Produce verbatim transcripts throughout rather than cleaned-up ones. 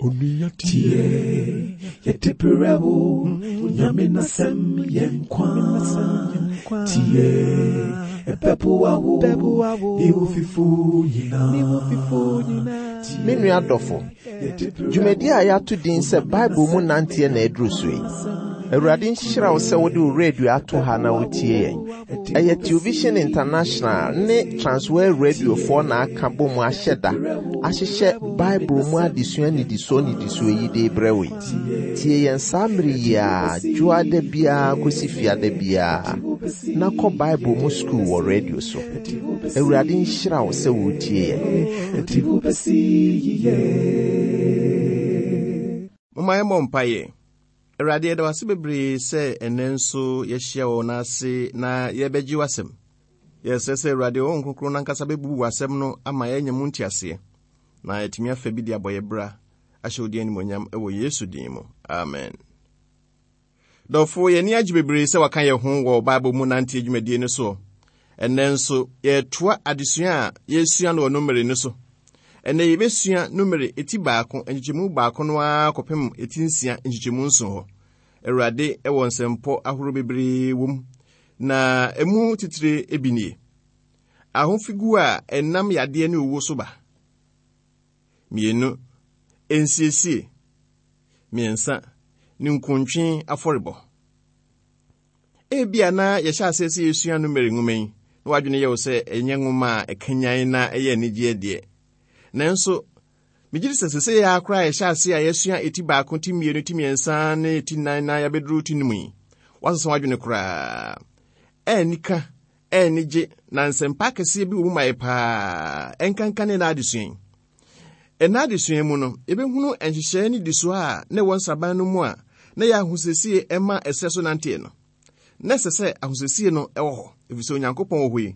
Tie, yɛde brɛ wo, Onyame n'asɛm yɛ nkwa. Tie, ɛbɛboa wo, ne wo fifo nyinaa. Me nua dɔfo, dwumadi a yɛato din sɛ Bible mu nanteɛ na aduru so yi. Awurade nhyira wo sɛ wode wo radio ato ha na wotie yɛn. Ɛyɛ Television International ne Transworld Radiofoɔ na aka bɔ mu ahyɛ da ahyehyɛ Bible mu adesua nnidisoɔ nnidisoɔ yi de brɛ wo yi. Tie yɛn saa mmere yi a dwoada biara kɔsi fiada biara na kɔ Bible mu sukuu wɔ radio so. Awurade nhyira wo sɛ wotie yɛn. Ɛde wo bɛsi yiye. Momma yɛmmɔ mpaeɛ. Awurade, yɛda wo ase bebree sɛ ɛnnɛ nso yɛahyia wɔ n'ase na yɛbɛgye w'asɛm. Yɛsrɛ sɛ Awurade, wo Honhom Kronkron n'ankasa bɛbubu w'asɛm no ama yɛanya mu nteaseɛ, na yɛatumi afa bi de abɔ yɛ bra ahyɛ wo din animuonyam wɔ Yesu din mu. Amen. Dɔfo, yɛn ani agye bebree sɛ waka yɛn ho wɔ Bible mu nante dwumadie no soɔ. Ɛnnɛ nso, yɛretoa adesua a yɛresua no wɔ Numeri no so. Ɛnnɛ yɛbɛsua Numeri eti baako, nkyekyɛmu baako no ara kɔpem eti nsia, nkyekyɛmu nson hɔ. Awurade wɔ nsɛmpɔ ahorow bebree wɔ mu, na emu titire bi nie. Ahofigu a ɛnam yadeɛ ne owuo so ba. Mmienu, nsiesie. Mmiɛnsa, ninkuntwe afɔrebɔ. Ebia na yɛhyɛ aseɛ sɛ yɛsua Numeri nwoma yi, na w'adwene yɛ wo sɛ ɛnyɛ nwoma a ɛkanyan na ɛyɛ anigyeɛ deɛ. Nanso, megye di sɛ sɛsɛ yɛ akora a yɛhyɛ ase a yɛsua eti baako, ti mmienu, ti mmiɛnsa ne ti nnan na yɛabɛduru ti num yi, woasesa w'adwene koraa. Ɛnnika, ɛnigye, na nsɛmpa akɛseɛ bi wɔ mu ma yɛ paa. Ɛnkanka ne ɛna adesua yi. Ɛna adesua mu no, yɛbɛhunu nhyehyɛeɛ ne disoɔ a na ɛwɔ nsraban no mu a na yɛ ahosiesie ɛma ɛsɛ so nanteɛ no. Na ɛsɛ sɛ ahosiesie no ɛwɔ hɔ, ɛfiri sɛ Onyankopɔn wɔ hɔ yi,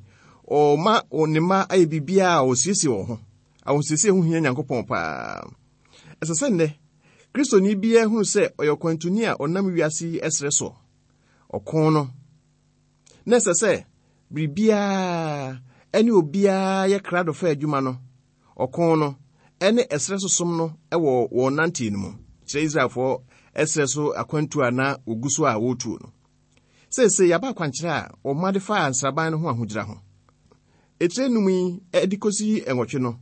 ɔma ne mma ayɛ biribiara a ɔsiesie wɔn ho. Ahosiesie ho hia Nyankopɔn paa. Ɛsɛ sɛ nnɛ, Kristoni biara hunu sɛ ɔyɛ ɔkwantuni a ɔnam wiase yi ɛserɛ soɔ. Ɔko no. Na ɛsɛ sɛ biribiara ɛne obiara yɛ krado fa adwuma no. Ɔko no ɛne ɛserɛ so som no ɛwɔ wɔn nanteɛ no mu. Kyerɛ Israelfoɔ ɛserɛ so akwantu a na wɔgu so a wɔretuo no. Seesei yɛaba akwankyerɛ a wɔma de faa nsraban no ho ahodwira ho. Etire num yi ɛde kɔsi nwɔtwe no,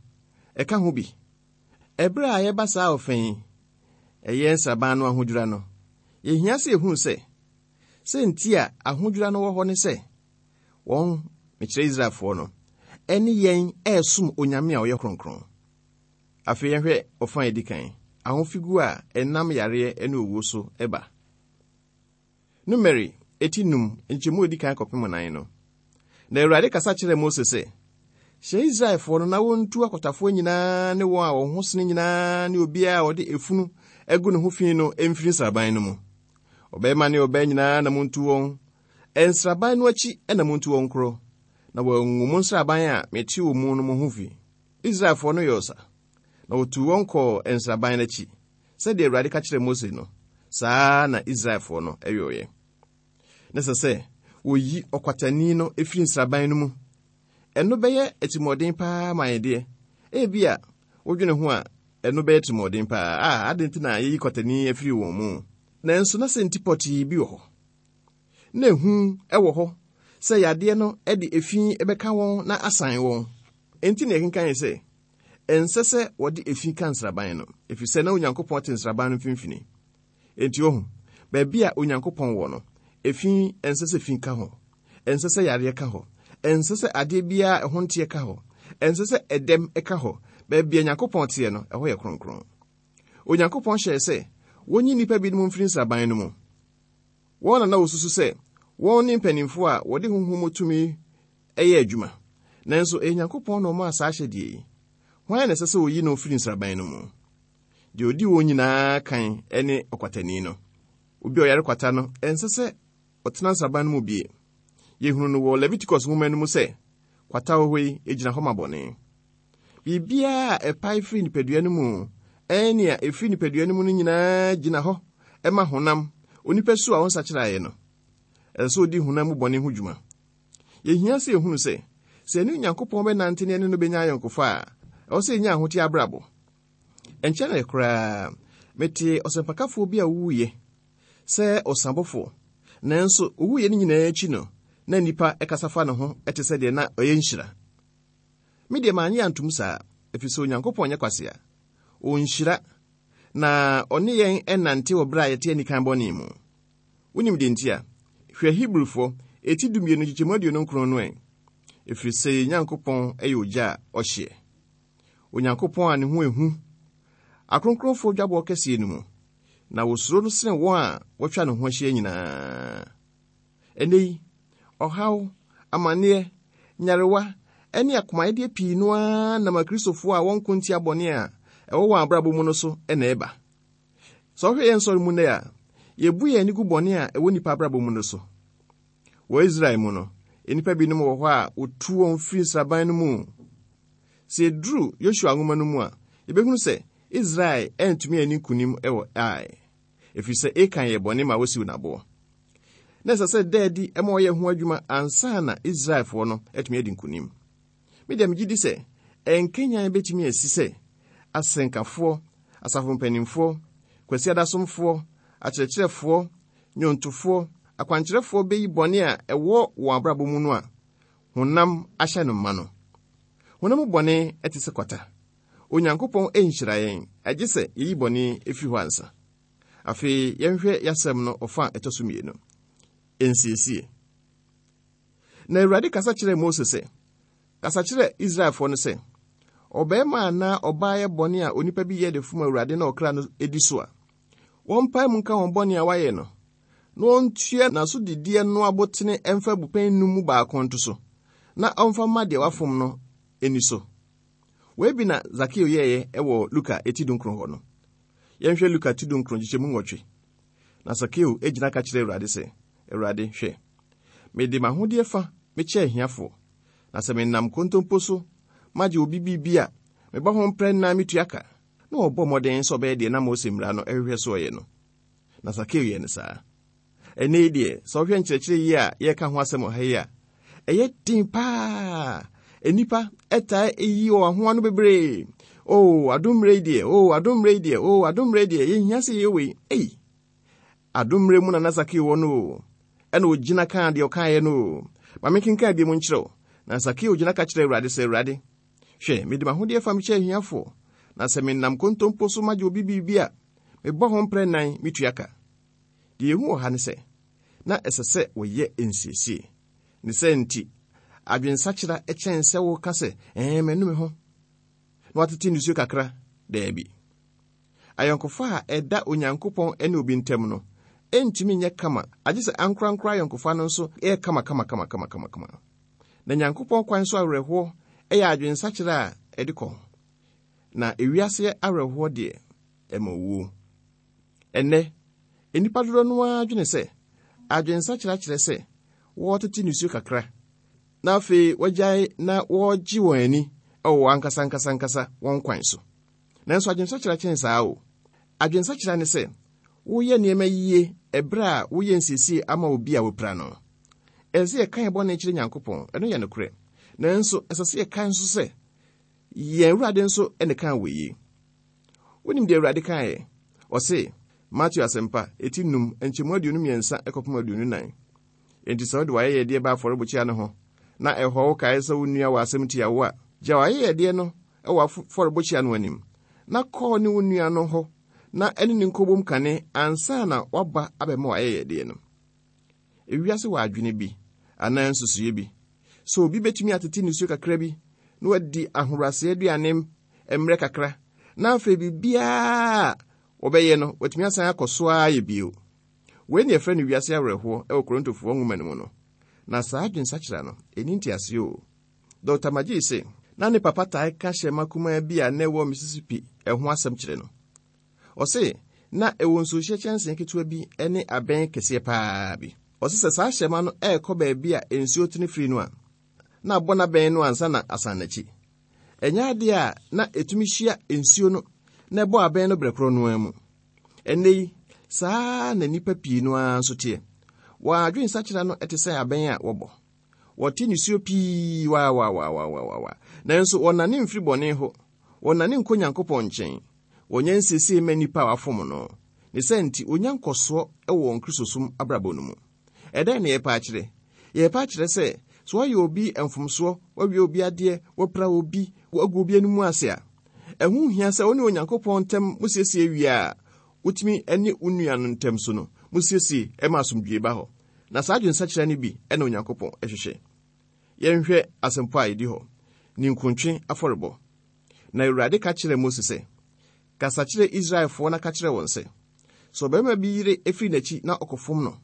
ɛka ho bi. Ɛberɛ a yɛba saa ɔfɛ yi, ɛyɛ nsraban no ahodwira no, yɛhia sɛ yɛhunu sɛ, sɛ nti a ahodwira no wɔ hɔ ne sɛ, wɔn, mekyerɛ Israelfoɔ no, ɛne yɛn ɛresom Onyame a ɔyɛ kronkron. Afei yɛhwɛ ɔfa a ɛdi kan, ahofigu a ɛnam yareɛ ne owuo so ɛba. Numeri eti num, nkyɛmu a edi kan kɔpem nan no. Na Awurade kasa kyerɛɛ Mose sɛ, hyɛ Israelfoɔ no na wɔntu akwatafoɔ nyinaa ne wɔn a wɔn ho sene nyinaa ne obiara a ɔde efunu agu ne ho fi no mfiri nsraban no mu. Ɔbarima ne ɔbaa nyinaa na montu wɔn. Nsraban no akyi na montu wɔn korɔ, na wɔangu mo nsraban a mete wɔ mu no mo ho fi. Israelfoɔ no yɛɛ ɔsa, na wɔtuu wɔn kɔɔ nsraban no akyi. Sɛdeɛ Awurade ka kyerɛɛ Mose no, saa na Israelfoɔ no yɔeɛ. Na ɛsɛ sɛ wɔyi ɔkwatani no firi nsraban no mu. Ɛno bɛyɛ atirimuɔden paa ma yɛn deɛ. Ebia wodwene ho a, ɛno bɛyɛ atirimuɔden paa. A, adɛn nti na yɛyi kwatani afiri wɔn mu? Nanso na sɛ nti pɔtee bi wɔ hɔ. Na ehu wɔ hɔ sɛ yadeɛ no de efi bɛka wɔn na asan wɔn. Enti na yɛkenkan sɛ, ɛnsɛ sɛ wɔde efi ka nsraban no, ɛfiri sɛ na Onyankopɔn te nsraban no mfimfini. Enti ohu, baabi a Onyankopɔn wɔ no, efi ɛnsɛ sɛ fi ka hɔ, ɛnsɛ sɛ yareɛ ka hɔ, ɛnsɛ sɛ adeɛ biara ɛho nteɛ ka hɔ, ɛnsɛ sɛ ɛdɛm ka hɔ. Baabi a Onyankopɔn teɛ no, ɛhɔ yɛ kronkron. Onyankopɔn hyɛɛ sɛ wɔnyi nnipa binom mfiri nsraban no mu. Wɔn na na wɔsusu sɛ wɔn ne mpanimfoɔ a wɔde honhom mu tumi yɛ adwuma. Nanso ɛyɛ Nyankopɔn na ɔmaa saa ahyɛdeɛ yi. Hwan na ɛsɛ sɛ wɔyi no firi nsraban no mu? Deɛ ɔdi wɔn nyinaa kan ne ɔkwatani no. Obi a ɔyare kwata no, ɛnsɛ sɛ ɔtena nsraban no mu bie. Yɛhunu no wɔ Leviticus nwoma no mu sɛ, kwata wɔ hɔ yi gyina hɔ ma bɔne. Biribiara a ɛpae firi nipadua no mu, ɛne nea ɛfiri nipadua no mu no nyinaa gyina hɔ ɛma honam, onipa su a ɔnsakyeraeɛ no. Ɛsɛ sɛ ɔdi honam mu bɔne ho dwuma. Yɛhia sɛ yɛhunu sɛ, sɛ ɛne Onyankopɔn bɛnante ne ɛne no bɛnya ayɔnkofa a, ɛwɔ sɛ yɛnya ahoteɛ abrabɔ. Ɛnkyɛre koraa, mete ɔsɛmpakafoɔ bi a owuiɛ sɛ ɔsabɔfoɔ. Nanso owuiɛ no nyinaa akyi no, na nnipa ɛkasa fa ne ho ɛte sɛ deɛ na ɔyɛ nhyira. Me deɛ mannye antom saa, ɛfiri sɛ Onyankopɔn nyɛ kwasea. Ɔnhyira, na ɔne yɛn ɛnante wɔ berɛ a yɛte anikan bɔne mu. Wonim deɛ nti a? Hwɛ Hebrifoɔ eti dumienu nkyekyɛmu aduonu nkron no ɛ. Ɛfiri sɛ yɛn Nyankopɔn ɛyɛ ogya a ɔhyeɛ. Onyankopɔn a ne ho ehu, akronkronfoɔ dwabɔ kɛseɛ no mu, na wosuro no sene wɔn a wɔatwa ne ho ahyia nyinaa. Ɛnnɛ yi, ɔhaw, amanneɛ, nyarewa, ɛne akomayɛdeɛ pii no ara nam akristofoɔ a wɔnko ntia bɔne a ɛwɔ wɔn abrabɔ mu no so ɛna ɛba. Sɛ wohwɛ yɛn nsɔre mu nnɛ a, yɛbu yɛn ani gu bɔne a ɛwɔ nnipa abrabɔ mu no so. Wɔ Israel mu no, nnipa binom wɔ hɔ a wotu wɔn firi nsraban no mu. Sɛ yɛduru Yosua nwoma no mu a, yɛbɛhunu sɛ Israel antumi anni nkonim wɔ Ai, ɛfiri sɛ Akan yɛ bɔne ma wosiw n'aboɔ. Na ɛsɛ sɛ da adi ma ɔyɛ ho adwuma ansa na Israelfoɔ no atumi adi nkonim. Me deɛ megye di sɛ ɛnkanyan bɛtumi asi sɛ asɛnkafoɔ, asafo mpanimfoɔ, kwasiadasomfoɔ, akyerɛkyerɛfoɔ, nnwontofoɔ, akwankyerɛfoɔ bɛyi bɔne a ɛwɔ wɔn abrabɔ mu no a honam ahyɛ no mma no. Honam bɔne te sɛ kwata. Onyankopɔn nhyira yɛn, agye sɛ yɛyi bɔne efiri hɔ ansa. Afei yɛnhwɛ yɛasɛm no ɔfa a ɛtɔ so mmienu. Nsiesie. Na Awurade kasa kyerɛɛ Mose sɛ, kasa kyerɛ Israelfoɔ no sɛ, ɔbarima anaa ɔbaa yɛ bɔne a onipa bi yɛ de fom Awurade na ɔkra no edi so a, wɔmpae mu nka wɔn bɔne a wayɛ no, na wɔntua n'asodideɛ no abotene ɛmfa abupɛn num mu baako nto so, na ɔmfa mma deɛ wafom no ani so. Wei bi na Zakeo yɛeɛ ɛwɔ Luka eti dunkron hɔ no. Yɛnhwɛ Luka ti dunkron nkyekyɛmu nwɔtwe. Na Sakeo gyina ka kyerɛ Awurade sɛ, Awurade, hwɛ, mede m'ahodeɛ fa mekyɛ ahiafoɔ, na sɛ menam kontompo so magye obi biribi a, mebɔ ho mprɛ nnan metua ka. Na ɔbɔ mmɔden sɛ ɔbɛyɛ deɛ na Mose mmara no ɛhwehwɛ so ɔyɛ no. Na Sakeo yɛ no saa. Ɛnnɛ yi deɛ, sɛ wohwɛ nkyerɛkyerɛ yi a yɛreka ho asɛm wɔ ha yi a, ɛyɛ den paa. Nnipa ɛtaa eyi wɔn ho ano bebree. Oh, adom mmerɛ yi deɛ, oh, adom mmerɛ yi deɛ, oh, adom mmerɛ yi deɛ, yɛnhia sɛ yɛyɛ wei. Ei, adom mmerɛ mu na na Sakeo wɔ no o. Ɛna ogyina kaa deɛ ɔkaeɛ no o. Ma menkenkan bi mu nkyerɛ wo. Na Sakeo gyina ka kyerɛ Awurade sɛ, Awurade, hwɛ, mede m'ahodeɛ fa mekyɛ ahiafoɔ, na sɛ menam kontompo so magye obi biribi a, mebɔ ho mprɛ nnan metua ka. Deɛ yɛhu wɔ ha ne sɛ, na ɛsɛ sɛ wɔyɛ nsiesie. Ne sɛ nti, adwensakyera kyɛn sɛ woka sɛ, ɛɛ, m'anu me ho, na watete nisuo kakra. Daabi. Ayɔnkofa a ɛda Onyankopɔn ne obi ntam no, ɛntumi nyɛ kama, agye sɛ ankorankora ayɔnkofa no nso ɛyɛ kama kama kama kama kama kama. Na Nyankopɔn kwan so awerɛhoɔ ɛyɛ adwensakyera a ɛde kɔ. Na ewiase awerɛhoɔ deɛ, ɛma owuo. Ɛnnɛ, nnipa dodoɔ no ara dwene sɛ, adwensakyera kyerɛ sɛ wɔretete nisuo kakra, na afei wɔagyae na wɔregye wɔn ani ɛwɔ wɔn ankasa ankasa ankasa wɔn kwan so. Nanso adwensakyera kyɛn saa o. Adwensakyera ne sɛ, woyɛ nneɛma yie ɛberɛ a woyɛ nsiesie ama obi a wopira no. Ɛsɛ sɛ yɛka yɛn bɔne kyerɛ Nyankopɔn, ɛno yɛ nokorɛ. Nanso ɛsɛ sɛ yɛka nso sɛ, yɛn Awurade nso ɛne kaa wɔ yie. Wonim deɛ Awurade kaeɛ? Ɔse, Mateo asɛmpa, eti num, nkyɛmu aduonu mmiɛnsa ɛkɔpem aduonu nan. Enti sɛ wode w'ayɛyɛdeɛ ba afɔrebukyia no ho, na ɛhɔ wo kae sɛ wo nua wɔ asɛm tia wo a, gya w'ayɛyɛdeɛ no ɛwɔ afɔrebukyia no anim, na kɔɔ ne wo nua no hɔ, na ɛne ne nkɔbom kane ansa na waba abɛma w'ayɛyɛdeɛ no. Ewiase wɔ adwene bi, anaa nsusuiɛ bi, sɛ obi bɛtumi atete nisuo kakra bi, na wadi ahobrɛaseɛ aduane mmerɛ kakra, na afei biribiara a wɔbɛyɛ no, watumi asan akɔ so ara yɛ bio. Wei ne yɛfrɛ no wiase awerɛhoɔ ɛwɔ Korintofoɔ nwoma no mu no. Na saa adwensakyera no, ɛni nteaseɛ o. Dɔkta Magee se, na ne papa tae ka hyɛmma kumaa bi a na ɛwɔ Mississippi ɛho asɛm kyerɛ no. Ɔse, na ɛwɔ nsuohyɛ kyɛnsee ketewa bi ne abɛn kɛseɛ paa bi. Ɔse sɛ saa hyɛmma no ɛrekɔ baabi a nsuo tene firi no a, na abɔ n'abɛn no ansa na asan n'akyi. Ɛnyɛ adeɛ a na ɛtumi hyia nsuo no na ɛbɔ abɛn no berɛ korɔ no ara mu. Ɛnnɛ yi, saa na nnipa pii no ara nso teɛ. Wɔn adwensakyera no ɛte sɛ abɛn a wɔbɔ. Wɔte nisuo pii waawaawaawaawa. Nanso wɔnnane mfiri bɔne ho. Wɔnnane nkɔ Nyankopɔn nkyɛn. Wɔnyɛ nsiesie ma nnipa a wafom no. Ne sɛ nti, onya nkɔsoɔ wɔ wɔn Kristosom abrabɔ no mu. Ɛdɛn na yɛpɛ akyerɛ? Yɛpɛ akyerɛ sɛ, sɛ wɔayɛ obi mfomsoɔ, wɔawie obi adeɛ, wɔapira obi, wɔagu obi anim ase a, ɛho hia sɛ wo ne Onyankopɔn ntam musiesie wie a, wotumi ne wo nua no ntam so no, musiesie ma asomdwoe ba hɔ. Na saa adwensakyera no bi na Onyankopɔn hwehwɛ. Yɛnhwɛ asɛmpo a ɛdi hɔ, ninkuntwe afɔrebɔ. Na Awurade ka kyerɛɛ Mose sɛ, kasa kyerɛ Israelfoɔ na ka kyerɛ wɔn sɛ, sɛ ɔbarima bi yere efiri n'akyi na ɔkɔfom no,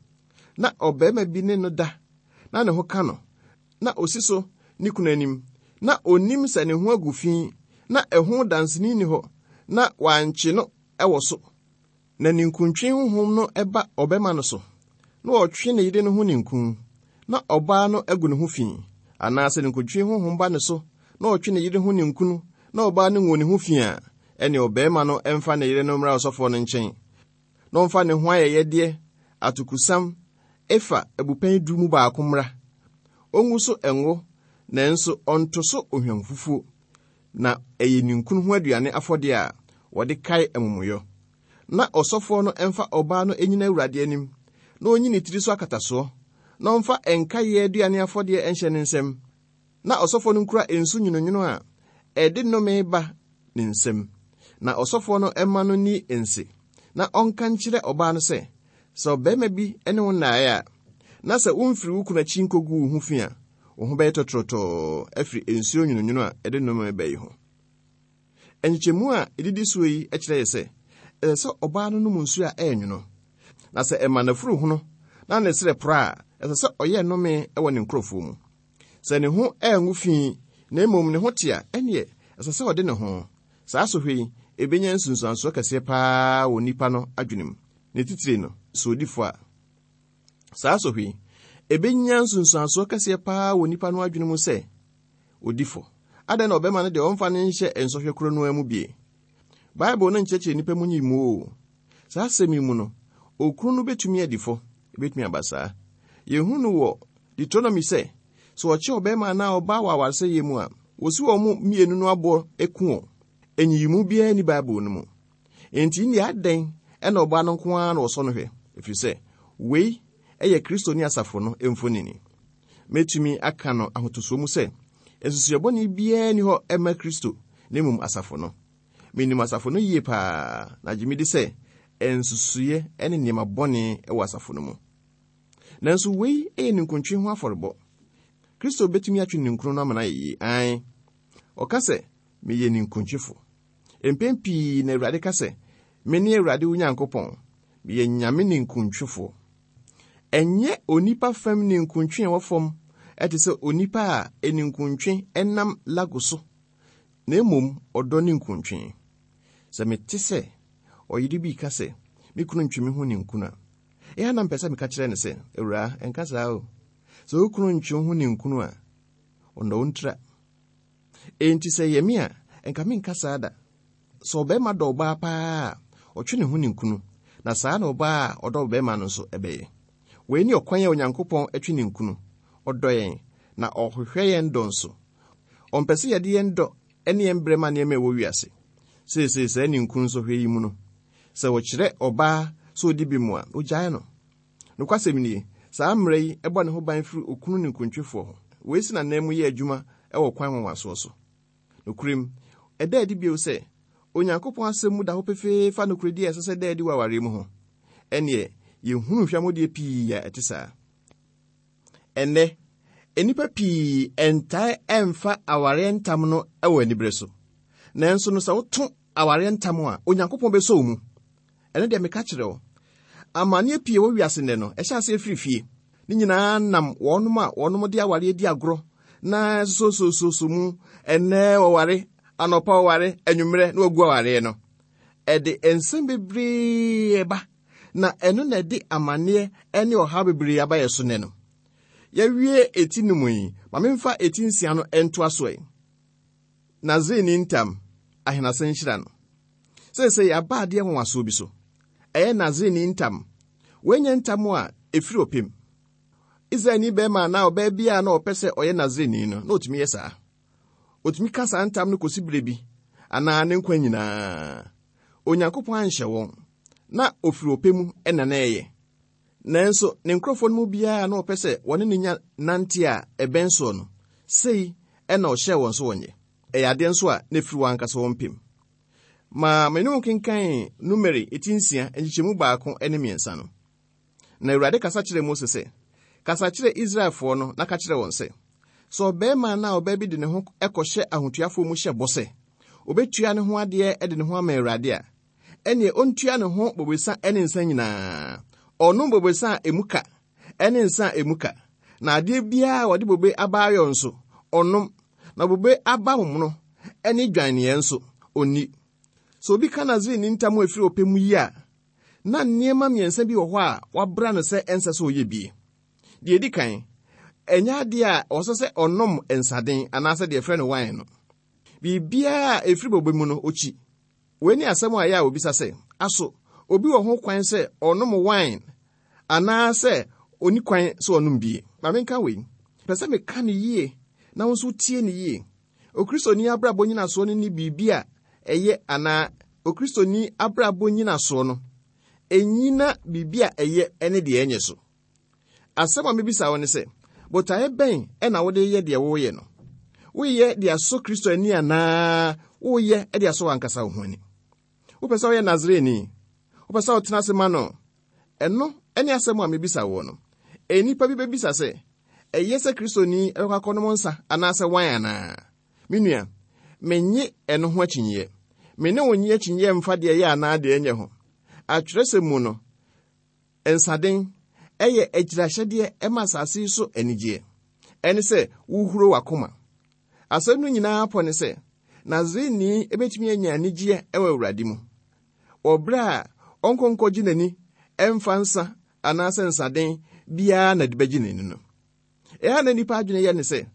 na ɔbarima bi ne no da, na ne ho ka no, na osi so ne kunu anim, na onim sɛ ne ho agu fi, na ɛho danseni ni hɔ, na wankye no ɛwɔ so, na ninkuntwe honhom no ɛba ɔbarima no so, na ɔtwe ne yere no ho ninkun, na ɔbaa no agu ne ho fi, anaasɛ ninkuntwe honhom ba ne so, na ɔtwe ne yere ho ninkunu, na ɔbaa no ngu ne ho fi a, ɛne ɔbarima no ɛmfa ne yere no mmra ɔsɔfoɔ no nkyɛn, na ɔmfa ne ho ayɛyɛdeɛ, atokusam, efa abupɛn du mu baako mmra. Ongu so ɛngo, nanso ɔnto so ohwamfufuo, na ɛyɛ ninkunu ho aduane afɔdeɛ a wɔde kae amumuyɔ. Na ɔsɔfoɔ no ɛmfa ɔbaa no ɛnyina Awurade anim, na ɔnyi ne tiri so akatasoɔ, na ɔmfa ɛnkaeɛ aduane afɔdeɛ ɛnhyɛ ne nsam. Na ɔsɔfoɔ no nkura nsu nwononwono a ɛde nnome ba ne nsam. Na ɔsɔfoɔ no ɛma no ni nse, na ɔnka nkyerɛ ɔbaa no sɛ, sɛ ɔbarima bi ne wo nnaeɛ a, na sɛ womfiri wo kunu akyi nkɔgu wo ho fi a, wo ho bɛyɛ tɔtorɔtɔɔ afiri nsuo nwononwono a ɛde nnome ba yi ho. Nkyekyɛmu a ɛdidi soɔ yi kyerɛ yɛ sɛ, ɛsɛ sɛ ɔbaa no nom nsuo a ɛyɛ nwono. Na sɛ ɛma n'afuru hono na ne serɛ porɔ a, ɛsɛ sɛ ɔyɛ nnome wɔ ne nkurɔfoɔ mu. Sɛ ne ho angu fi, na mmom ne ho te a, ɛneɛ ɛsɛ sɛ ɔde ne ho. Saa sɔhwɛ yi, ebenya nsunsuansoɔ kɛseɛ paa wɔ nipa no adwene mu. Ne titire no, sɛ odi fɔ a. Saa sɔhwɛ yi, ebenya nsunsuansoɔ kɛseɛ paa wɔ nipa no adwene mu sɛ odi fɔ. Adɛn na ɔbɛma no deɛ ɔmfa ne nhyɛ nsɔhwɛ koro no mu bie? Bible no nkyerɛkyerɛ nipa mu nyi mu o. Saa asɛm yi mu no, okunu no betumi adi fɔ, ebetumi aba saa. Yɛhu no wɔ Deuteronomy sɛ, sɛ ɔkyɛ ɔbɛrima anaa ɔbaa wɔ awaresɛeɛ mu a, wosi wɔn mu mmienu no aboɔ eku wɔn. Enyiyimu biara ni Bible no mu. Enti nea adɛn ɛna ɔbaa no nko ara na ɔsɔ no hwɛ, ɛfiri sɛ wei ɛyɛ Kristo ne asafo no mfonini. Mɛtumi aka no ahotosoɔ mu sɛ, nsusuɛ bɔne biara ni hɔ ɛma Kristo na mmom asafo no. Menim asafo no yie paa, na gye me di sɛ nsusuiɛ ne nneɛma bɔne wɔ asafo no mu. Nanso wei yɛ ninkuntwe ho afɔrebɔ. Kristo betumi atwe ninkunu no ama no ayɛ yie. Ae. Ɔka sɛ, meyɛ ninkuntwefo. Mpɛn pii na Awurade ka sɛ, me ne Awurade wo Nyankopɔn, meyɛ Nyame ninkuntwefoɔ. Ɛnyɛ onipa fam ninkuntwe a ɛwɔ fam ɛte sɛ onipa a eninkuntwe ɛnam lago so, na mmom ɔdɔ ninkuntwe. Sɛ mete sɛ ɔyere bi ka sɛ, me kunu ntwe me ho ninkunu a, ɛyɛ na mpɛ sɛ meka kyerɛ no sɛ, Awuraa, ɛnka saa o. Sɛ wo kunu ntwe wo ho ninkunu a, ɔnnɔ wo ntira. Enti sɛ ɛyɛ me a, ɛnka menka saa da. Sɛ ɔbarima dɔ ɔbaa paa a, ɔtwe ne ho ninkunu, na saa na ɔbaa a ɔdɔ ɔbarima no nso ɛbɛyɛ. Wei ne ɔkwan a Onyankopɔn atwe ninkunu. Ɔdɔ yɛn, na ɔhwehwɛ yɛn dɔ nso. Ɔmpɛ sɛ yɛde yɛn dɔ ne yɛn brɛ ma nneɛma a ɛwɔ wiase. Seesei saa ninkunu nsɔhwɛ yi mu no, sɛ wɔkyerɛ ɔbaa sɛ ɔdi bi mu a, ogyae no. Nokwasɛm nie, saa mmerɛ yi ɛbɔ ne ho ban firi okunu ninkuntwefoɔ ho. Wei si n'anan mu yɛ adwuma ɛwɔ kwan nwanwasoɔ so. Nokorɛm, ɛda adi bio sɛ, Onyankopɔn asɛm mu da hɔ pefee fa nokorɛdi a ɛsɛ sɛ da adi wɔ awareɛ mu ho. Ɛneɛ, yɛhunu hwɛmɔdeɛ pii a ɛte saa. Ɛnnɛ, nnipa pii ɛntae ɛmfa awareɛ ntam no ɛwɔ anibere so. Nanso no sɛ woto awareɛ ntam a, Onyankopɔn bɛsɔ wo mu. Ɛno deɛ meka kyerɛ wo. Amanneɛ pii wɔ wiase nnɛ no, ɛhyɛ aseɛ firi fie. Ne nyinaa nam wɔnom a wɔnom de awareɛ di agorɔ na sosososo mu ɛnnɛ wɔware, anɔpa wɔware, anwummerɛ na wɔagu awareɛ no. Ɛde nsɛm bebree ba, na ɛno na ɛde amanneɛ ne ɔhaw bebree aba yɛ so nnɛ no. Yɛwie eti no mu yi, ma memfa eti nsia no ntoa so ɛ. Nasareni ntam, ahenasɛ nhyira no. Seesei yɛaba adeɛ nwanwasoɔ bi so. Ɛyɛ Nasareni ntam. Wɔanya ntam a ɛfiri ɔpem. Israelni bɛrima anaa ɔbaa bi a na ɔpɛ sɛ ɔyɛ Nasareni no, na ɔtumi yɛ saa. Ɔtumi ka saa ntam no kɔsi berɛ bi, anaa ne nkwa nyinaa. Onyankopɔn anhyɛ wɔn, na ofiri ɔpɛ mu ɛna na ɛyɛ. Nanso ne nkurɔfoɔ no mu biara na ɔpɛ sɛ wɔne ne nya nante a ɛbɛn soɔ no, sei ɛna ɔhyɛɛ wɔn so wɔnyɛ. Ɛyɛ adeɛ nso a na ɛfiri wɔn ankasa wɔn pem. Ma me ne wo kenkan Numeri eti nsia nkyekyɛmu baako ne mmiɛnsa no. Na Awurade kasa kyerɛɛ Mose sɛ, kasa kyerɛ Israelfoɔ no na ka kyerɛ wɔn sɛ, sɛ ɔbarima anaa ɔbaa bi de ne ho kɔhyɛ ahotuafoɔ mu hyɛ bɔ sɛ, obetua ne ho adeɛ de ne ho ama Awurade a, ɛneɛ ɔntua ne ho bobesa ne nsa nyinaa. Ɔnom bobesa a emu ka ne nsa a emu ka. Na adeɛ biara a wɔde bobe aba ayɔ nso, ɔnom. Na bobe aba momono ne dwaneɛ nso, ɔnni. Sɛ obi ka Nasareni ntam a ɛfiri ɔpɛ mu yi a, na nneɛma mmiɛnsa bi wɔ hɔ a wabra no sɛ ɛnsɛ sɛ ɔyɛ bie. Deɛ ɛdi kan, ɛnyɛ adeɛ a ɔsɛ sɛ ɔnom nsaden anaasɛ deɛ ɛfrɛ no wine no. Biribiara a ɛfiri bobe mu no, ɔkyi. Wei ne asɛm a ɛyɛ a obisa sɛ, aso, obi wɔ ho kwan sɛ ɔnom wine anaasɛ ɔni kwan sɛ ɔnom bie? Ma menka wei. Pɛ sɛ meka no yie na wo nso tie no yie. Okristoni abrabɔ nyinasoɔ no ne biribi a ɛyɛ anaa Okristoni abrabɔ nyinasoɔ no, ɛnyina biribi a ɛyɛ ne deɛ ɛnyɛ so. Asɛm a mebisa wo ne sɛ, botaeɛ bɛn ɛna wode yɛ deɛ woyɛ no? Woyɛ de asɔ Kristo ani anaa woyɛ de asɔ w'ankasa wo ho ani? Wopɛ sɛ woyɛ Nasareni? Wopɛ sɛ wotena ase ma no? Ɛno ne asɛm a mebisa wo no. Nnipa bi bɛbisa sɛ, ɛyɛ sɛ Kristoni ɛbɛkɔ akɔnom nsa anaasɛ wan anaa? Me nua, menye ɛno ho akyinyeɛ. Me ne wo nye akyinyeɛ mfa deɛ ɛyɛ anaa deɛ ɛnyɛ ho. Atwerɛsɛm mu no, nsaden ɛyɛ agyirahyɛdeɛ ɛma asase yi so anigyeɛ. Ɛne sɛ wohuro w'akoma. Asɛm no nyinaa pɔ ne sɛ, Nasareni ebɛtumi anya anigyeɛ ɛwɔ Awurade mu. Wɔ berɛ a ɔnkɔnkɔgye n'ani ɛmfa nsa anaasɛ nsaden biara na de bɛgye n'ani no. Ɛha na nnipa adwene yɛ ne sɛ,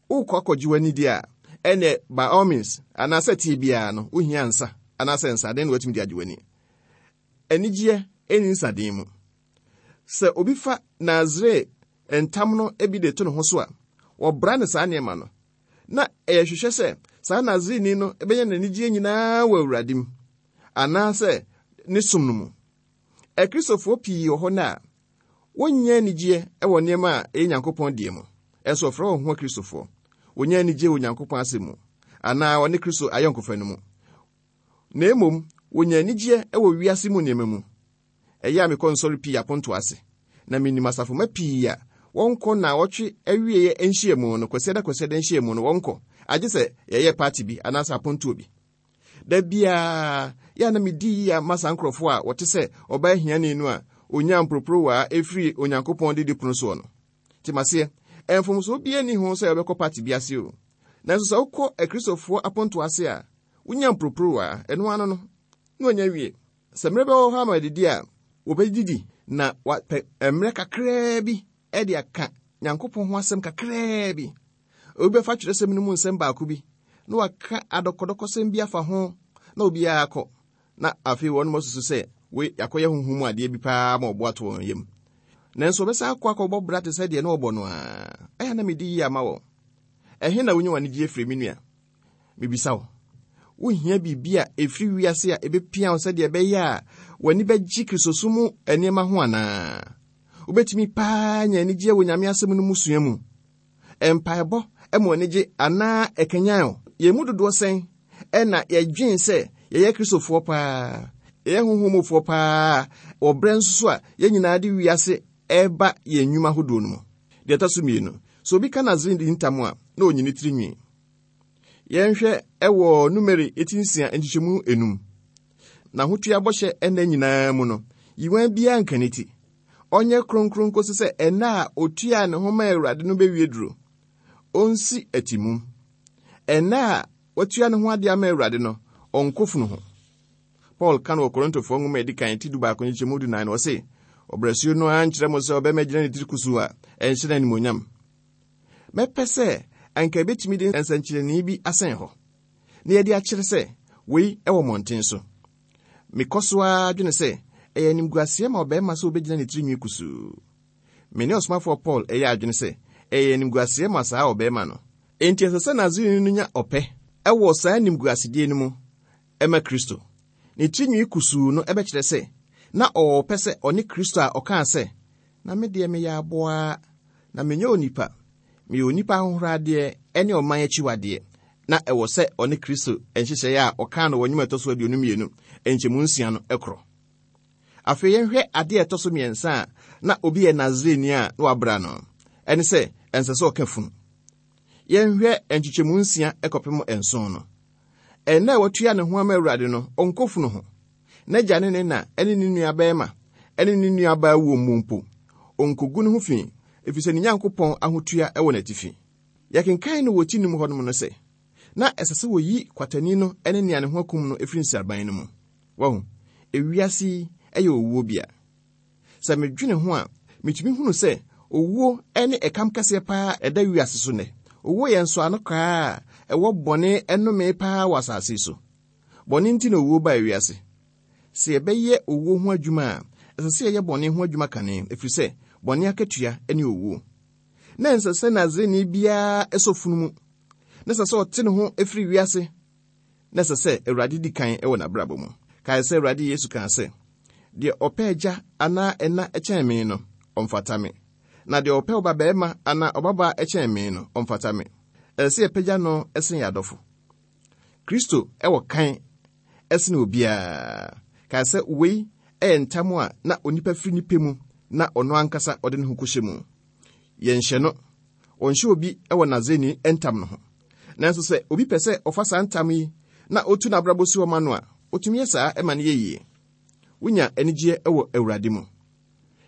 wokɔ akɔgye w'ani deɛ a, ɛnɛ by all means, anaasɛ tie biara no, wohia nsa anaasɛ nsaden na watumi de agye w'ani. Anigyeɛ ɛnni nsaden mu. Sɛ obi fa Nasare ntam no bi de to ne ho so a, wɔbra ne saa nneɛma no. Na ɛyɛ hwehwɛ sɛ saa Nasareni no bɛnya n'anigyeɛ nyinaa wɔ Awurade mu, anaasɛ ne som no mu. Akristofoɔ pii wɔ hɔ no a, wonnya anigyeɛ wɔ nneɛma a ɛyɛ Nyankopɔn deɛ mu. Ɛnso wɔfrɛ wɔn ho Akristofoɔ. Wonnya anigyeɛ wɔ Nyankopɔn asɛm mu, anaa wɔne Kristo ayɔnkofa no mu. Na mmom, wonya anigyeɛ wɔ wiase mu nneɛma mu. Ɛyɛ a mekɔ nsɔre pii aponto ase, na minim asafomma pii a wɔnkɔ na wɔtwe awieeɛ nhyiamu no, kwasiada kwasiada nhyiamu no, wɔnkɔ. Agye sɛ yɛyɛ party bi anaasɛ apontoɔ bi. Da biara, yɛ a na medi yie ama saa nkurɔfoɔ a wɔte sɛ ɔbaa hiani no a onya mporoporowa efiri Onyankopɔn didi pono soɔ no. Te maseɛ, mfomsoɔ biara nni ho sɛ wɔbɛkɔ party bi ase o. Nanso sɛ wokɔ Akristofoɔ apontoɔ ase a, wonya mporoporowa, ɛno ano no, na wanya wie. Sɛ mmerɛ bɛwɔ hɔ ama adidi a, wɔbɛdidi na wapɛ mmerɛ kakraa bi de aka Nyankopɔn ho asɛm kakraa bi. Obi bɛfa twerɛsɛm no mu nsɛm baako bi, na waka adɔkɔdɔkɔsɛm bi afa ho, na obiara akɔ. Na afei wɔn mo susu sɛ, wei akɔyɛ honhom mu adeɛ bi paa ma ɔbo ato wɔn yam. Nanso wɔbɛsan akɔ akɔbɔ bra te sɛ deɛ na wɔbɔ no a, ɛyɛ na medi yie ama wɔn. Ɛhe na wonya w'anigyeɛ firi, me nua? Mebisa wo. Wohia biribi a ɛfiri wiase a ɛbɛpia wo sɛdeɛ ɛbɛyɛ a w'ani bɛgye Kristosom mu nneɛma ho anaa? Wobɛtumi paa nya anigyeɛ wɔ Nyame asɛm no mu sua mu. Mpaebɔ ma w'ani gye anaa ɛkanyan wo. Yɛn mu dodoɔ sɛn ɛna yɛdwen sɛ yɛyɛ Kristofoɔ paa, yɛyɛ honhommufoɔ paa, wɔ berɛ nso so a yɛn nyinaa de wiase ɛreba yɛn nnwuma ahodoɔ no mu. Deɛ ɛtɔ so mmienu, sɛ obi ka Nasareni ntam a, na ɔnyi ne tiri nwi. Yɛnhwɛ ɛwɔ Numeri eti nsia nkyekyɛmu enum. Na ahotua bɔhyɛ ɛnna nyinaa mu no, yiwan biara nka ne ti. Ɔnyɛ kronkron kɔsi sɛ ɛnna a otua ne ho ma Awurade no bɛwie duro. Ɔnsi atimum. Ɛnna a watua ne ho adeɛ ama Awurade no, ɔnkɔ funu ho. Paul ka no wɔ Korintofoɔ nwoma a ɛdi kan ti du baako nkyekyɛmu du nan no, ɔse, ɔbrɛsuo no ara nkyerɛ mo sɛ ɔbɛma gyina ne tiri kusuu a ɛnhyɛ no animuonyam. Mɛpɛ sɛ anka ebɛtumi de nsɛnkyerɛnne bi asɛn hɔ, na yɛde akyerɛ sɛ wei ɛwɔ mmɔnten so. Mekɔ so ara dwene sɛ ɛyɛ animguaseɛ ma ɔbarima sɛ obɛgyina ne tiri nwi kusuu. Me ne ɔsomafoɔ Paul ɛyɛ adwene sɛ ɛyɛ animguaseɛ ma saa ɔbarima no. Enti ɛsɛ sɛ Nasareni no nya ɔpɛ ɛwɔ saa animguasedeɛ no mu ɛma Kristo. Ne tirinwi kusuu no ɛbɛkyerɛ sɛ na ɔwɔ pɛ sɛ ɔne Kristo a ɔkaa sɛ, na me deɛ meyɛ aboa, na menyɛ onipa, meyɛ onipa ahohoradeɛ ne ɔman akyiwadeɛ. Na ɛwɔ sɛ ɔne Kristo nhyehyɛeɛ a ɔkaa no wɔ nnwom a ɛtɔ so aduonu mmienu nkyɛmu nsia no korɔ. Afei yɛnhwɛ adeɛ a ɛtɔ so mmiɛnsa a na obi yɛ Nasareni a na wabra no, ɛne sɛ ɛnsɛ sɛ ɔka funu. Yɛnhwɛ nkyekyɛmu nsia kɔpem nson no. Ɛnna a watua ne ho ama Awurade no, ɔnkɔ funu ho. N'agya ne ne na ne ne nua bɛrima ne ne nua baa wuo mu mpo, ɔnkɔgu ne ho fi, ɛfiri sɛ ne Nyankopɔn ahotua wɔ n'atifi. Yɛkenkan no wɔ ti num hɔnom no sɛ, na ɛsɛ sɛ wɔyi kwatani no ne nea ne ho akum no firi nsraban no mu. Wahu, ewiase yi yɛ owuo bea. Sɛ medwene ho a, metumi hunu sɛ owuo ne ɛkam kɛseɛ paa ɛda wiase so nnɛ. Owuo yɛ nsɔano koraa a ɛwɔ bɔne ɛnome paa wɔ asase yi so. Bɔne nti na owuo baa wiase. Sɛ yɛbɛyɛ owuo ho adwuma a, ɛsɛ sɛ yɛyɛ bɔne ho adwuma kane, ɛfiri sɛ bɔne akatua ne owuo. Na ɛnsɛ sɛ Nasareni biara ɛsɔ funu mu. Na ɛsɛ sɛ ɔte ne ho ɛfiri wiase. Na ɛsɛ sɛ Awurade di kan wɔ n'abrabɔ mu. Kae sɛ Awurade Yesu kaa sɛ, deɛ ɔpɛ agya anaa ɛna ɛkyɛn me no, ɔmfata me. Na deɛ ɔpɛ ɔbabarima anaa ɔbabaa ɛkyɛn me no, ɔmfata me. Ɛsɛ sɛ yɛpagya no ɛsen yɛn adɔfo. Kristo ɛwɔ kan ɛsen obiara. Kae sɛ wei ɛyɛ ntam a na onipa firi nipa mu na ɔno ankasa ɔde ne ho kɔhyɛ mu. Yɛnhyɛ no, ɔnhyɛ obi ɛwɔ Nasareni ntam no ho. Nanso sɛ obi pɛ sɛ ɔfa saa ntam yi na otu n'abrabɔ si hɔ ma no a, otumi yɛ saa ɛma no yɛ yie. Wonya anigyeɛ ɛwɔ Awurade mu.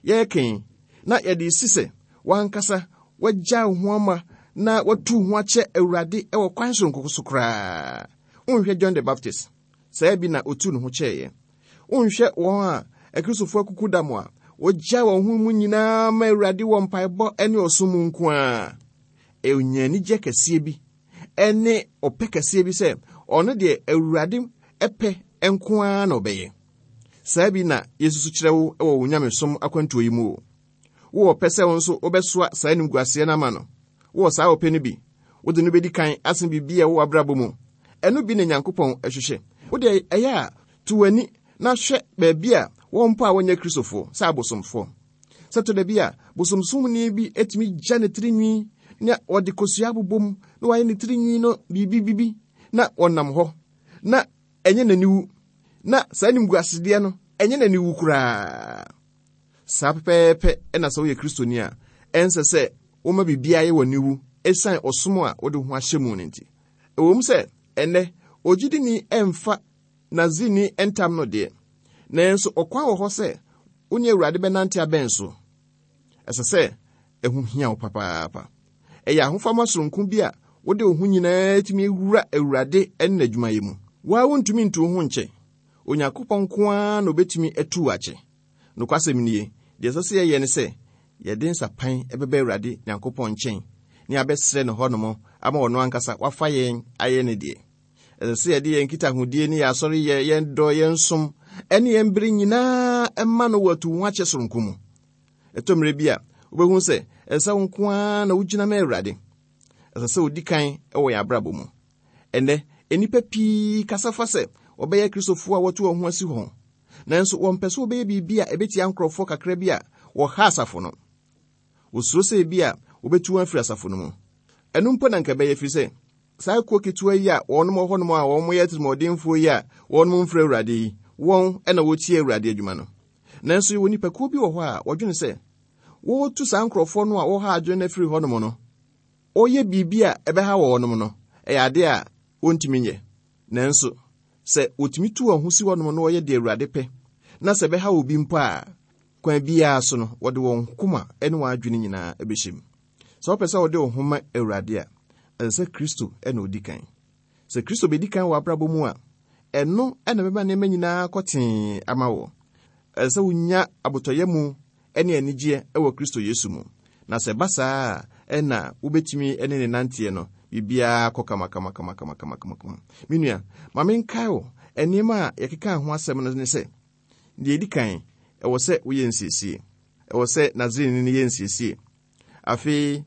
Yɛrekɛn na yɛde si sɛ wankasa wagya wo ho ama na watu ho akyɛ Awurade ɛwɔ kwan soronko so koraa. Wonhwɛ John the Baptist, saa bi na otu ne ho kyɛeɛ. Wonhwɛ wɔn a Akristofoɔ akuku da mo a wɔgya wɔn ho mu nyinaa ma Awurade wɔ mpaebɔ ne ɔsom mu nko ara. Ɛnya anigye kɛseɛ bi ɛne ɔpɛ kɛseɛ bi sɛ ɔno deɛ Awurade ɛpɛ nko ara na ɔbɛyɛ. Saa bi na yɛsusu kyerɛ wo wɔ wo nyamesom akwantuo yi mu o. Wowɔ pɛ sɛ wo nso wobɛsoa saa animguaseɛ no ama no. Wowɔ saa ɔpɛ no bi. Wode no bɛdi kan asen biribi a ɛwɔ w'abrabɔ mu. Ɛno bi na Nyankopɔn ɛhwehwɛ. Wode ɛyɛ a to w'ani na hwɛ baabi a wɔn mpo a wɔnyɛ Kristofoɔ sɛ abosomfoɔ. Sɛ to da bi a bosomsomni bi etumi gya ne tirinwi na ɔde kosua abobɔ mu na wayɛ ne tirinwi no biribi bibi na ɔnam hɔ na ɛnyɛ n'aniwu, na saa animguasedeɛ no ɛnyɛ n'aniwu koraa. Saa pɛpɛɛpɛ ɛna sɛ woyɛ Kristoni a, ɛnsɛ sɛ woma biribiara yɛ w'aniwu ɛsiane ɔsom a wode ho ahyɛ mu no nti. Ɛwɔ mu sɛ ɛnnɛ ogyidini ɛmfa Nasareni ntam no deɛ, nanso ɔkwan wɔ hɔ sɛ wo ne Awurade bɛnante abɛn so. Ɛsɛ sɛ ɛho hia wo papaapa. Ɛyɛ ahofama soronko bi a wode wo ho nyinaa tumi wura Awurade ne n'adwumayɛ mu. Wo ara wontumi ntu wo ho nkyɛ. Onyankopɔn nko ara na obetumi atu wo akyɛ. Nokwasɛm nie, deɛ ɛsɛ sɛ yɛyɛ ne sɛ yɛde nsapan ɛbɛba Awurade Nyankopɔn nkyɛn ne abɛsrɛ no hɔnom ama ɔno ankasa wafa yɛn ayɛ ne deɛ. Ɛsɛ sɛ yɛde yɛn nkitahodie ne yɛn asɔreyɛ, yɛn dɔ, yɛn som, ɛne yɛn bere nyinaa ɛma no wɔ atu ho akyɛ soronko mu. Ɛtɔ mmerɛ bi a wobɛhu sɛ ɛsɛ sɛ wo nko ara na wogyina ma Awurade. Ɛsɛ sɛ wodi kan wɔ yɛn abrabɔ mu. Ɛnnɛ, nnipa pii kasa fa sɛ wɔbɛyɛ Kristofoɔ a wɔto wɔn ho asi hɔ. Nanso wɔmpɛ sɛ wɔbɛyɛ biribi a ɛbɛtia nkurɔfoɔ kakra bi a wɔha asafo no. Wɔsuro sɛ ebi a wɔbɛtu wɔn afiri asafo no mu. Ɛno mpo na nka ɛbɛyɛ firi sɛ saa kuo ketewa yi a wɔnom wɔ hɔnom a wɔn yɛ atirimuɔdenfoɔ yi a wɔnom mfrɛ Awurade yi, wɔn ɛna wɔtie Awurade adwuma no. Nanso yɛwɔ nnipakuo bi wɔ hɔ a wɔdwene sɛ wɔretu saa nkurɔfoɔ no a wɔha adwene no afiri hɔnom no, wɔyɛ biribi a ɛbɛha wɔnom no, ɛyɛ adeɛ a wɔntumi nyɛ. Nanso sɛ wɔtumi tu wɔn ho si hɔnom na wɔyɛ deɛ Awurade pɛ, na sɛ ɛbɛha obi mpo a, kwan biara so no, wɔde wɔn koma ne wɔn adwene nyinaa bɛhyɛ mu. Sɛ wopɛ sɛ wode wo ho ma Awurade a, ɛsɛ sɛ Kristo na odi kan. Sɛ Kristo bɛdi kan wɔ abrabɔ mu a, ɛno na ɛbɛma nneɛma nyinaa kɔ tee ama wo. Ɛsɛ sɛ wonya abotɔyɛ mu ne anigyeɛ wɔ Kristo Yesu mu. Na sɛ ɛba saa a, ɛna wobɛtumi ne ne nanteɛ no, biribiara kɔ kama kama kama kama kama kama kama. Me nua, ma menkae wo nneɛma a yɛkeka ho asɛm no ne sɛ, deɛ ɛdi kan, ɛwɔ sɛ woyɛ nsiesie. Ɛwɔ sɛ Nasareni no yɛ nsiesie. Afei,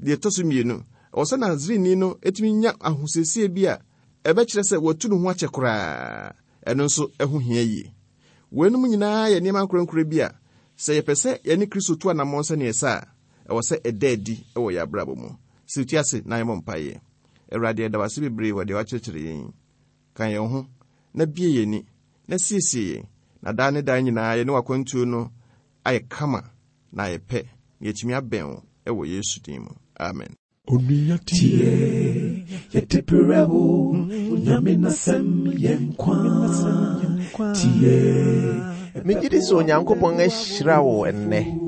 deɛ ɛtɔ so mmienu, ɛwɔ sɛ Nasareni no etumi nya ahosiesie bi a ɛbɛkyerɛ sɛ watu ne ho akyɛ koraa. Ɛno nso ɛho hia yie. Weinom nyinaa yɛ nneɛma nkorɛnkorɛ bi a sɛ yɛpɛ sɛ yɛne Kristo tu anammɔn sɛneɛ ɛsɛ a, ɛwɔ sɛ ɛda adi wɔ yɛn abrabɔ mu. Sɛ wotu ase na yɛmmɔ mpaeɛ. Awurade, yɛda wo ase bebree wɔ deɛ woakyerɛkyerɛ yɛn yi. Ka yɛn ho na bue yɛn ani na siesie yɛn, na daa ne daa nyinaa yɛne w'akwantuo no ayɛ kama na ayɛ pɛ, na yɛatumi abɛn wo wɔ Yesu din mu. Amen. Onua tie, yɛde brɛ wo, Onyame n'asɛm yɛ nkwa. Tie. Megye di sɛ Onyankopɔn ahyira wo ɛnnɛ.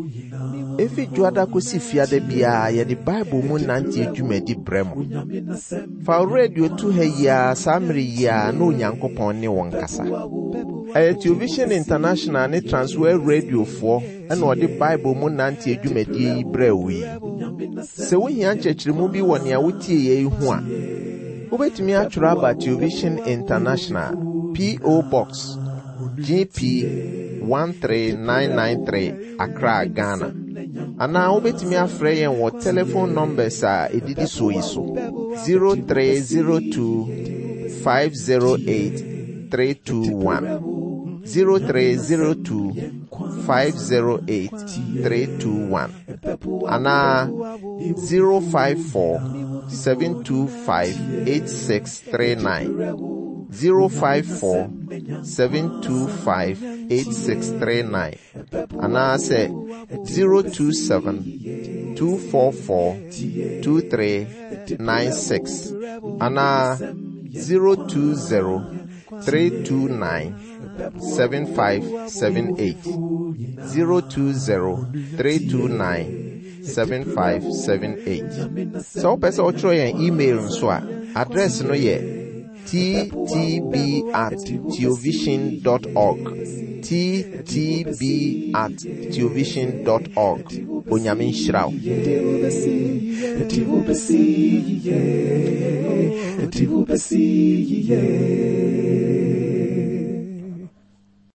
Efi Dwoada kosi Fiada biara yɛde Bible mu nante dwumadi brɛ mo. Fa wo radio to ha yi ara saa mmere yi ara na Onyankopɔn ne wo nkasa. Ɛyɛ Television International ne Transworld Radiofoɔ ɛna ɔde Bible mu nante dwumadie yi brɛ wo yi. Sɛ wohia nkyerɛkyerɛmu bi wɔ nea wotie yɛ yi ho a, wobɛtumi atwerɛ aba Television International, P O. Box G P one three nine nine three, Accra, Ghana. Anaa wobɛtumi afrɛ yɛn wɔ telephone numbers a ɛdidi soɔ yi so: zero three zero two five zero eight three two one, zero three zero two five zero eight three two one, anaa zero five four seven two five eight six three nine, zero five four seven two five eight six three nine, anaasɛ zero two seven two four four two three nine six, anaa zero two zero three two nine seven five seven eight, zero two zero three two nine seven five seven eight. Sɛ wopɛ sɛ wotwerɛ yɛn email nso a, address no yɛ T T B at theovision dot org, T T B at theovision dot org. Onyame nhyira wo. Yɛde wo bɛsi yie, yɛde wo bɛsi yie.